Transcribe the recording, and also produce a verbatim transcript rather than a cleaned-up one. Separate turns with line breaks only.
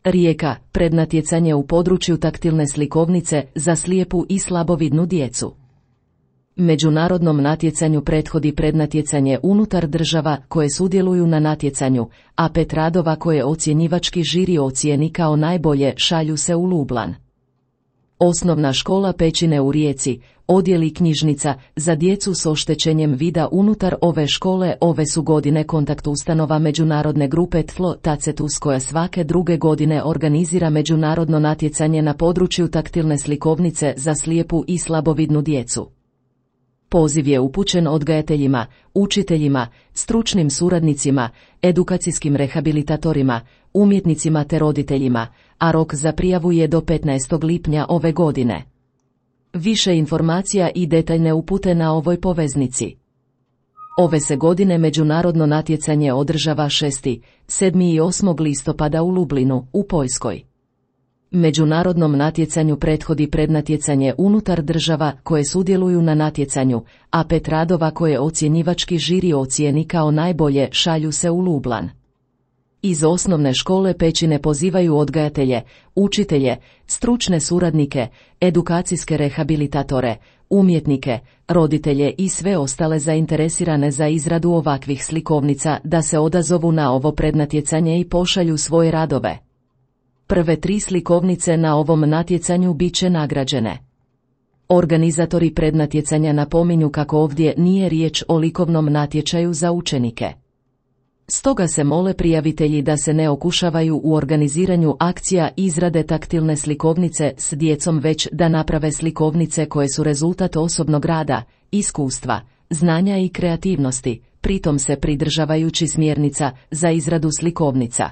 Rijeka, prednatjecanje u području taktilne slikovnice za slijepu i slabovidnu djecu. Međunarodnom natjecanju prethodi prednatjecanje unutar država koje sudjeluju na natjecanju, a pet radova koje ocjenjivački žiri ocijeni kao najbolje šalju se u Lublan. Osnovna škola Pećine u Rijeci, odjel i knjižnica za djecu s oštećenjem vida unutar ove škole ove su godine kontakt ustanova međunarodne grupe T F L Tacetus koja svake druge godine organizira međunarodno natjecanje na području taktilne slikovnice za slijepu i slabovidnu djecu. Poziv je upućen odgajateljima, učiteljima, stručnim suradnicima, edukacijskim rehabilitatorima, umjetnicima te roditeljima, a rok za prijavu je do petnaestog lipnja ove godine. Više informacija i detaljne upute na ovoj poveznici. Ove se godine međunarodno natjecanje održava šestog, sedmog i osmog listopada u Lublinu, u Poljskoj. Međunarodnom natjecanju prethodi prednatjecanje unutar država koje sudjeluju na natjecanju, a pet radova koje ocjenjivački žiri ocijeni kao najbolje šalju se u Lublan. Iz osnovne škole Pećine pozivaju odgajatelje, učitelje, stručne suradnike, edukacijske rehabilitatore, umjetnike, roditelje i sve ostale zainteresirane za izradu ovakvih slikovnica da se odazovu na ovo prednatjecanje i pošalju svoje radove. Prve tri slikovnice na ovom natjecanju bit će nagrađene. Organizatori prednatjecanja napominju kako ovdje nije riječ o likovnom natječaju za učenike. Stoga se mole prijavitelji da se ne okušavaju u organiziranju akcija izrade taktilne slikovnice s djecom već da naprave slikovnice koje su rezultat osobnog rada, iskustva, znanja i kreativnosti, pritom se pridržavajući smjernica za izradu slikovnica.